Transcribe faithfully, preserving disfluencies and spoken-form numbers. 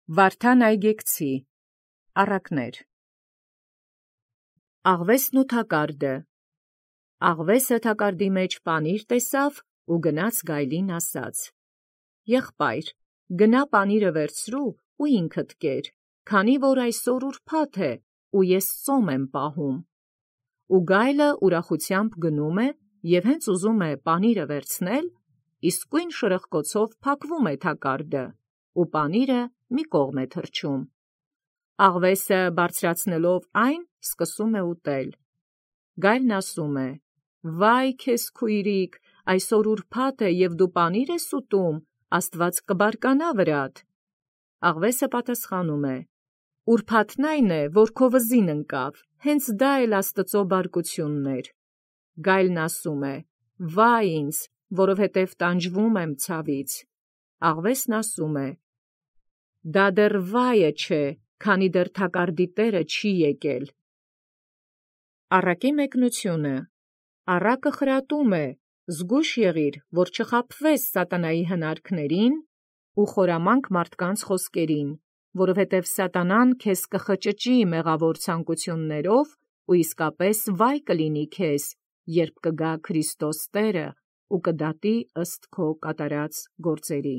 Վարդան Այգեկցի առակներ։ Աղվեսն ու թակարդը։ Աղվեսը թակարդի մեջ պանիր տեսավ ու գնաց գայլին ասաց. «Եղբայր, գնա պանիրը վերցրու ու ինքդ կեր, քանի որ այսօր ուրբաթ է ու ես ծոմ եմ պահում»։ Ու գայլը ուրախությամբ գնում է և հենց ուզում է պանիրը վերցնել, իսկույն շրխկոցով փակվում է թակարդը, ու պանիրը մի կողմ է թռչում։ Աղվեսը բարձրացնելով այն, սկսում է ուտել։ Գայլն ասում է. «Վայ քեզ քույրիկ, այսօր ուրբաթ է և դու պանիր ես ուտում, Աստված կբարկանա վրադ»։ Աղվեսը պատասխանում է. «Ուրբաթն այն է, որ քո վզին ընկավ, հենց դա էլ Աստծու բարկությունն էր»։ Գայլն ասում է. «Վայ ինձ, որովհետև տանջվում եմ ցավից»։ Աղվեսն ասում է. «Դա դեռ վայը չէ, քանի դեռ թակարդի տերը չի եկել»։ Առակի մեկնությունը։ Առակը խրատում է, զգույշ եղիր, որ չխաբվես սատանայի հնարքներին ու խորամանկ մարդկանց խոսքերին, որովհետև սատանան քեզ կխճճի մեղավոր ցանկություններով ու իսկապես վայ կլինի քեզ, երբ կգա Քրիստոս Տերը ու կդատի ըստ քո կատարած գործերի։